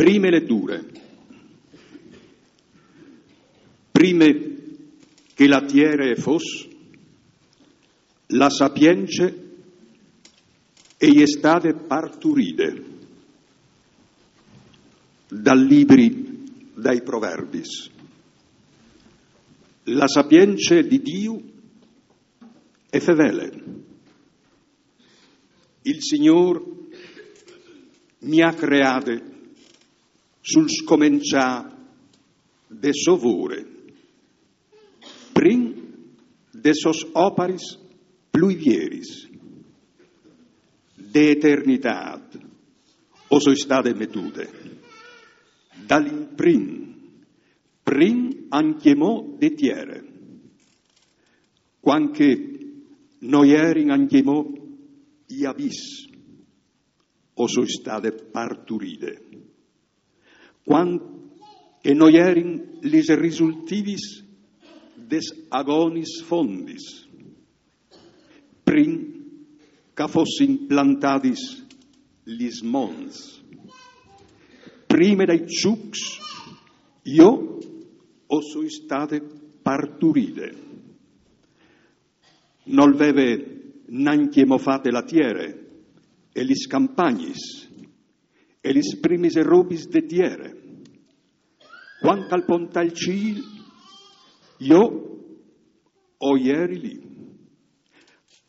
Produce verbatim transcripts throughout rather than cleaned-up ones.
Prime leture. Prime che la tiere e fos, la sapience e je stade parturide dal libri dai Proverbis. La sapience di Diu e fevele. Il Signor mi ha creade sul scomencià de so vore, prin de sos oparis plui vieris. De eternitad o soi stade metude, dal imprin, prin ancjemò de tiere. Cuant che no jerin ancjemò i abis, o soi stade parturide. Cuant che no jerin lis risultivis des agonis fondis, prin che a fossin plantadis lis monts, prime dai ciucs, jo o soi stade parturide. Nol veve nancjemò fate la tiere e lis campagnis e lis primis robis de tiere. Cuant che al pontà il cîl, jo o jeri li.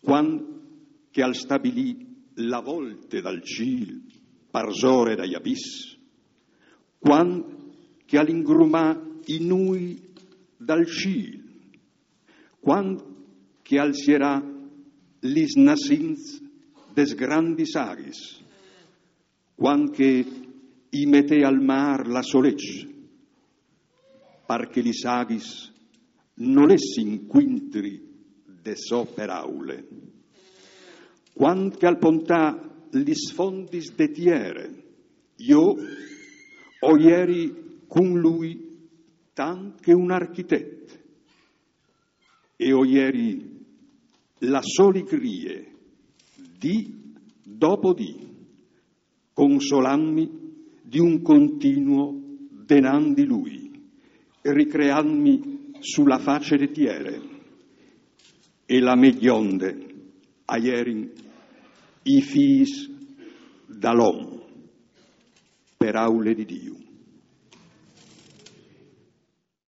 Cuant che al stabilì la volte dal cîl parsore dai abis, cuant che al ingrumà i nûi dal cîl, cuant che al sierà lis nassints des grandis aghis, cuant che i metè al mâr la sô leç, par che lis aghis no lessin cuintri de sô peraule. Cuant che al pontà lis fondis de tiere, jo o jeri cun lui tant che un architet, e o jeri la sô ligrie dì dopo dì, consolantmi di un continuo denant di lui, ricreantmi su la face de tiere. E la mê gjonde a jerin i fîs dal om. Peraule di Diu.